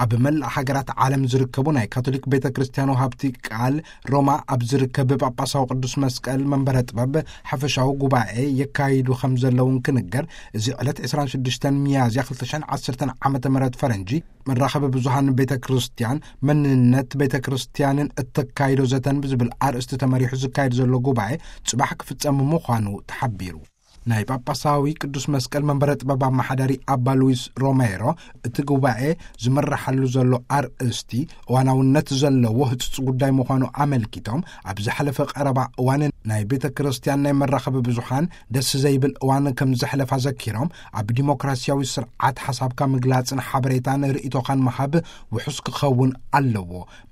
ኣብ መላእ ሃገራት ዓለም ዝርከቡ ናይ ካቶሊክ ቤተ ክርስቲያን ወሃብቲ ቃል፣ ሮማ ኣብ ዝርከብ ጳጳሳዊ ቅዱስ መስቀል መንበረ ጥበብ ሓፈሻዊ ጉባኤ የካይዱ ከም ዘለውን ክንገር፣ እዚ ዕለት ዕስራን ሽዱሽተን ሚያዝያ ክልተ ሽሕን ዓሰርተን ዓመተ ምህረት ፈረንጂ፣ መራኸቢ ብዙሃን ቤተ ክርስቲያን፣ መንነት ቤተ ክርስቲያንን እተካይዶ ዘተን ብዝብል ኣርእስቲ ተመሪሑ ዝካየድ ዘሎ ጉባኤ ጽባሕ ክፍጸም ምዃኑ ተሓቢሩ። ናይ ጳጳሳዊ ቅዱስ መስቀል መንበረ ጥበብ ኣመሓዳሪ ኣባ ሉዊስ ሮሜሮ፣ እቲ ጉባኤ ዝምርሓሉ ዘሎ ኣርእስቲ እዋናውነት ዘለዎ ህጹጽ ጉዳይ ምዃኑ ኣመልኪቶም፣ ኣብ ዝሓለፈ ቀረባ እዋን ናይ ቤተ ክርስቲያን ናይ መራኸቢ ብዙሃን ደስ ዘይብል እዋን ከም ዘሕለፋ ዘኪሮም፣ ኣብ ዲሞክራሲያዊ ስርዓት ሓሳብካ ምግላጽን ሓበሬታን ርእይቶኻን ምሃብ ውሑስ ክኸውን ኣለዎ።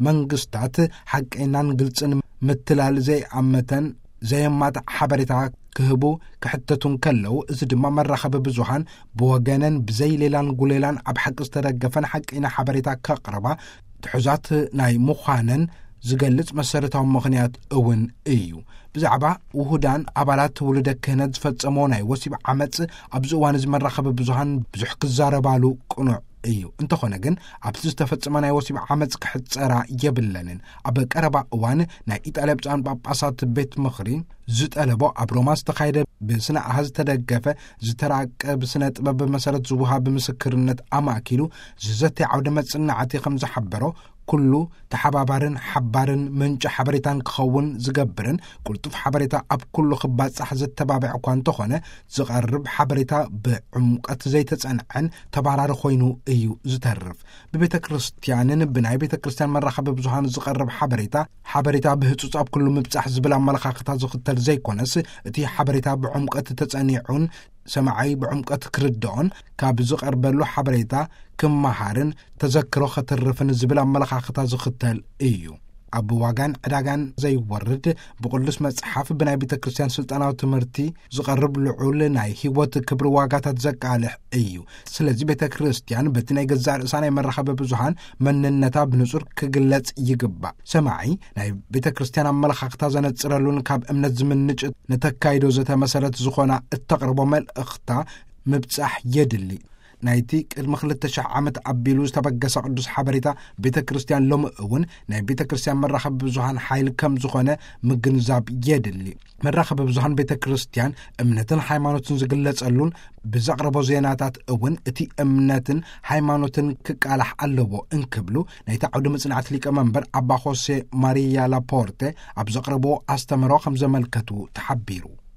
መንግስታት ሓቀይናን ግልጽን ምትላል ዘይኣመተን ዘየማትዕ ሓበሬታ ክህቡ ክሕተቱ እንከለዉ፣ እዚ ድማ መራኸቢ ብዙሃን ብወገነን ብዘይ ሌላን ጉሌላን ኣብ ሓቂ ዝተደገፈን ሓቀይና ሓበሬታ ከቕርባ ትሑዛት ናይ ምዃነን ዝገልጽ መሰረታዊ ምኽንያት እውን እዩ። ብዛዕባ ውሁዳን ኣባላት ውሉደ ክህነት ዝፈጸሞ ናይ ወሲብ ዓመጽ ኣብዚ እዋን እዚ መራኸቢ ብዙሃን ብዙሕ ክዛረባሉ ቅኑዕ እዩ። እንተኾነ ግን፣ ኣብቲ ዝተፈጸመ ናይ ወሲብ ዓመጽ ክሕጸራ የብለንን። ኣብ ቀረባ እዋን ናይ ኢጣልያ ብፁዓን ጳጳሳት ቤት ምኽሪ ዝጠለቦ፣ ኣብ ሮማ ዝተኻየደ ብስነ ኣሃዝ ዝተደገፈ ዝተራቀ ብስነ ጥበብ መሰረት ዝወሃብ ምስክርነት ኣማእኪሉ ዝዘተ ዓውደ መጽናዕቲ ከም ዝሓበሮ፣ ኩሉ ተሓባባርን ሓባርን ምንጪ ሓበሬታን ክኸውን ዝገብርን ቅልጡፍ ሓበሬታ ኣብ ኩሉ ክባጻሕ ዘተባብዕ እኳ እንተኾነ፣ ዝቐርብ ሓበሬታ ብዕምቀት ዘይተጸንዐን ተባራሪ ኮይኑ እዩ ዝተርፍ። ብቤተ ክርስቲያንን ብናይ ቤተ ክርስቲያን መራኸቢ ብዙሃን ዝቐርብ ሓበሬታ፣ ሓበሬታ ብህጹጽ ኣብ ኩሉ ምብጻሕ ዝብል ኣመለኻኽታ ዝኽተል ዘይኮነስ፣ እቲ ሓበሬታ ብዕምቀት ተጸኒዑን ሰማዓይ ብዕምቀት ክርድኦን ካብ ዝቐርበሉ ሓበሬታ ክመሃርን ተዘክሮ ከተርፍን ዝብል ኣመለኻኽታ ዝኽተል እዩ። ኣብ ዋጋን ዕዳጋን ዘይወርድ፣ ብቅዱስ መጽሓፍ፣ ብናይ ቤተ ክርስቲያን ስልጣናዊ ትምህርቲ ዝቐርብ ልዑል ናይ ህይወት ክብሪ ዋጋታት ዘቃልሕ እዩ። ስለዚ ቤተ ክርስቲያን በቲ ናይ ገዛእ ርእሳ ናይ መራኸቢ ብዙሃን መንነታ ብንጹር ክግለጽ ይግባእ። ሰማዒ ናይ ቤተ ክርስቲያን ኣመለኻኽታ ዘነጽረሉን ካብ እምነት ዝምንጭ ንተካይዶ ዘተ መሰረት ዝኾና እተቕርቦ መልእኽታ ምብጻሕ የድሊ። ናይቲ ቅድሚ ክልተ ሽሕ ዓመት ኣቢሉ ዝተበገሰ ቅዱስ ሓበሬታ ቤተ ክርስቲያን ሎሚ እውን ናይ ቤተ ክርስቲያን መራኸቢ ብዙሃን ሓይል ከም ዝኾነ ምግንዛብ የድሊ። መራኸቢ ብዙሃን ቤተ ክርስቲያን እምነትን ሃይማኖትን ዝግለጸሉን ብዘቕረቦ ዜናታት እውን እቲ እምነትን ሃይማኖትን ክቃላሕ ኣለዎ እንክብሉ ናይቲ ዓውደ መጽናዕቲ ሊቀ መንበር ኣባ ሆሴ ማሪያ ላፖርተ ኣብ ዘቕረብዎ ኣስተምህሮ ከም ዘመልከቱ ተሓቢሩ።